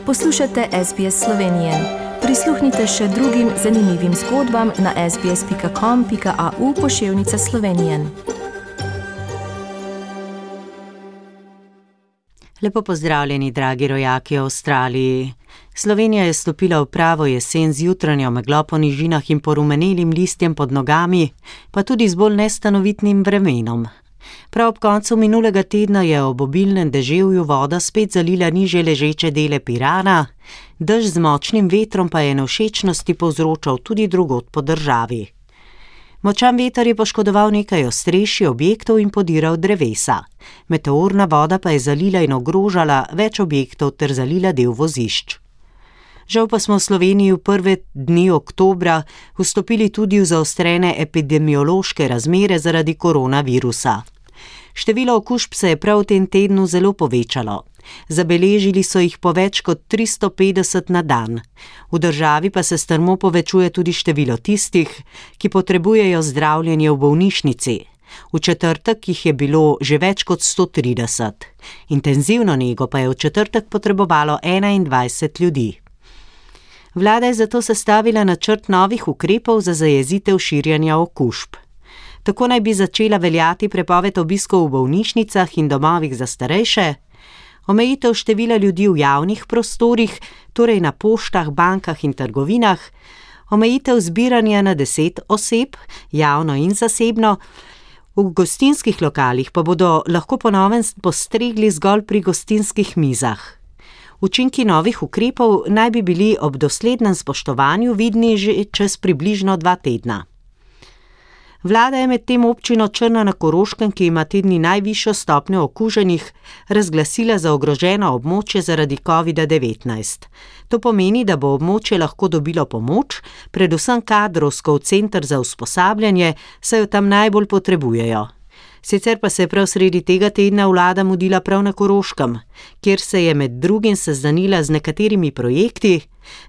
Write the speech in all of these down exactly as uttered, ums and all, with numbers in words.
Poslušate S B S Slovenije. Prisluhnite še drugim zanimivim zgodbam na sbs.com pika au pošiljka Slovenije. Lepo pozdravljeni, dragi rojaki v Avstraliji. Slovenija je stopila v pravo jesen z jutranjo meglo po nižinah in porumenelim listjem pod nogami, pa tudi z bolj nestanovitnim vremenom. Prav ob koncu minulega tedna je ob obilnem deževju voda spet zalila nižje ležeče dele Pirana, dež z močnim vetrom pa je nevšečnosti povzročal tudi drugod po državi. Močan veter je poškodoval nekaj ostrešij objektov in podiral drevesa. Meteorna voda pa je zalila in ogrožala več objektov ter zalila del vozišč. Žal pa smo v Sloveniji v prve dni oktobra vstopili tudi v zaostrene epidemiološke razmere zaradi koronavirusa. Število okužb se je prav v tem tednu zelo povečalo. Zabeležili so jih po več kot tristo petdeset na dan. V državi pa se strmo povečuje tudi število tistih, ki potrebujejo zdravljenje v bolnišnici. V četrtek jih je bilo že več kot sto trideset. Intenzivno nego pa je v četrtek potrebovalo enaindvajset ljudi. Vlada je zato sestavila načrt novih ukrepov za zajezitev širjenja okužb. Tako naj bi začela veljati prepoved obiskov v bolnišnicah in domovih za starejše, omejitev števila ljudi v javnih prostorih, torej na poštah, bankah in trgovinah, omejitev zbiranja na deset oseb, javno in zasebno, v gostinskih lokalih pa bodo lahko po novem postregli zgolj pri gostinskih mizah. Učinki novih ukrepov naj bi bili ob doslednem spoštovanju vidni že čez približno dva tedna. Vlada je med tem občino Črna na Koroškem, ki ima te dni najvišjo stopnjo okuženih, razglasila za ogroženo območje zaradi covida devetnajst. To pomeni, da bo območje lahko dobilo pomoč, predvsem kadrovsko v center za usposabljanje, saj jo tam najbolj potrebujejo. Sicer pa se je prav sredi tega tedna vlada mudila prav na Koroškem, kjer se je med drugim seznanila z nekaterimi projekti,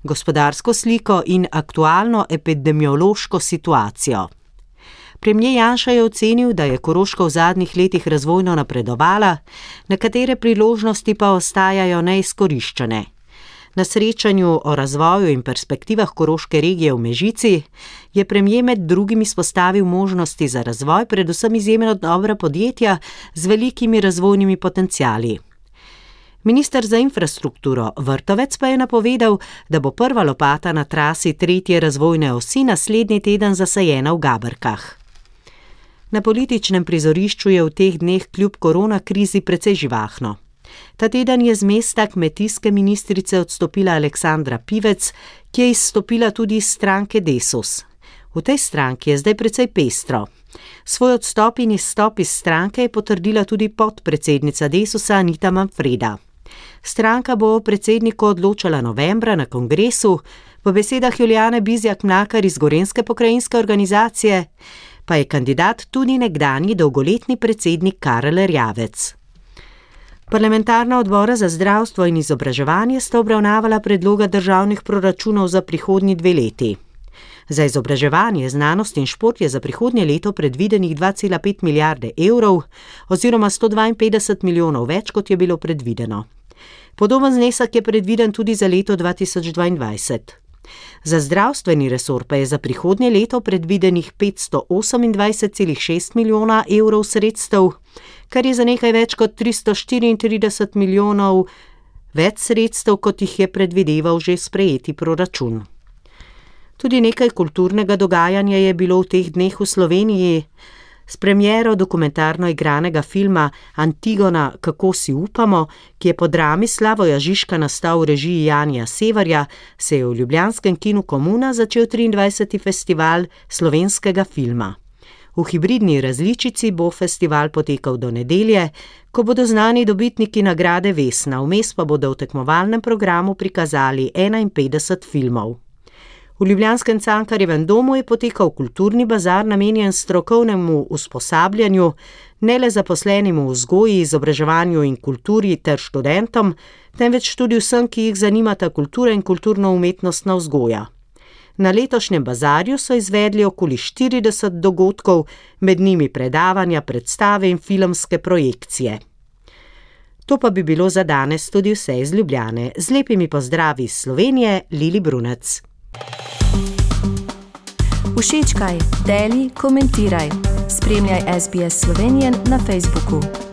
gospodarsko sliko in aktualno epidemiološko situacijo. Premier Janša je ocenil, da je Koroška v zadnjih letih razvojno napredovala, nekatere priložnosti pa ostajajo neizkoriščene. Na srečanju o razvoju in perspektivah koroške regije v Mežici je premier med drugim izpostavil možnosti za razvoj, predvsem izjemno dobra podjetja z velikimi razvojnimi potenciali. Minister za infrastrukturo Vrtovec pa je napovedal, da bo prva lopata na trasi tretje razvojne osi naslednji teden zasajena v Gaberkah. Na političnem prizorišču je v teh dneh kljub korona krizi precej živahno. Ta teden je z mesta kmetijske ministrice odstopila Aleksandra Pivec, ki je izstopila tudi iz stranke Desus. V tej stranki je zdaj precej pestro. Svoj odstop in izstop iz stranke je potrdila tudi podpredsednica Desusa Anita Manfreda. Stranka bo o predsedniku odločala novembra na kongresu, po besedah Julijane Bizjak-Mlakar iz Gorenjske pokrajinske organizacije, pa je kandidat tudi nekdanji dolgoletni predsednik Karel Erjavec. Parlamentarna odbora za zdravstvo in izobraževanje sta obravnavala predloga državnih proračunov za prihodnji dve leti. Za izobraževanje, znanost in šport je za prihodnje leto predvidenih dva cela pet milijarde evrov oziroma sto dvainpetdeset milijonov več, kot je bilo predvideno. Podoben znesek je predviden tudi za leto dva tisoč dvaindvajset. Za zdravstveni resor pa je za prihodnje leto predvidenih petsto osemindvajset celih šest milijona evrov sredstev, kar je za nekaj več kot tristo štiriintrideset milijonov več sredstev, kot jih je predvideval že sprejeti proračun. Tudi nekaj kulturnega dogajanja je bilo v teh dneh v Sloveniji. S premiero dokumentarno igranega filma Antigona, kako si upamo, ki je po drami Slavoja Žižka nastal v režiji Janija Severja, se je v ljubljanskem kinu Komuna začel triindvajseti festival slovenskega filma. V hibridni različici bo festival potekal do nedelje, ko bodo znani dobitniki nagrade Vesna, vmes pa bodo v tekmovalnem programu prikazali enainpetdeset filmov. V ljubljanskem Cankarjevem domu je potekal kulturni bazar namenjen strokovnemu usposabljanju, ne le zaposlenim v vzgoji, izobraževanju in kulturi ter študentom, temveč tudi vsem, ki jih zanimata kultura in kulturno-umetnostna vzgoja. Na letošnjem bazarju so izvedli okoli štirideset dogodkov, med njimi predavanja, predstave in filmske projekcije. To pa bi bilo za danes tudi vse iz Ljubljane. Z lepimi pozdravi iz Slovenije, Lili Brunec. Všečkaj, deli, komentiraj. Spremljaj S B S Slovenijo na Facebooku.